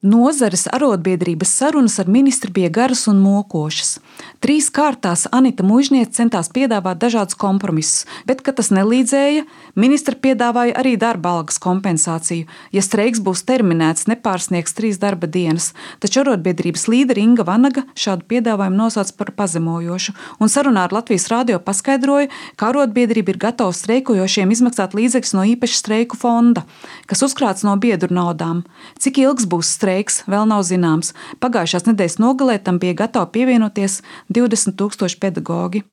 Nozares arotbiedrības sarunas ar ministru bija garas un mokošas. 3 kārtās Anita Muižniece centās piedāvāt dažādus kompromisus, bet, kad tas nelīdzēja, ministra piedāvāja arī darba algas kompensāciju, ja streiks būs terminēts, nepārsniegs 3 darba dienas, taču arotbiedrības līdere Inga Vanaga šādu piedāvājumu nosauca par pazemojošu, un sarunā ar Latvijas radio paskaidroja, ka arotbiedrība ir gatava streikojošiem izmaksāt līdzekļus no īpaša streiku fonda, kas uzkrāts no biedru naudām. Cik ilgs būs streiks, vēl nav zināms. Pagājušās nedēļas nogalē tam bija gatavi pievienoties 20 000 pedagogi.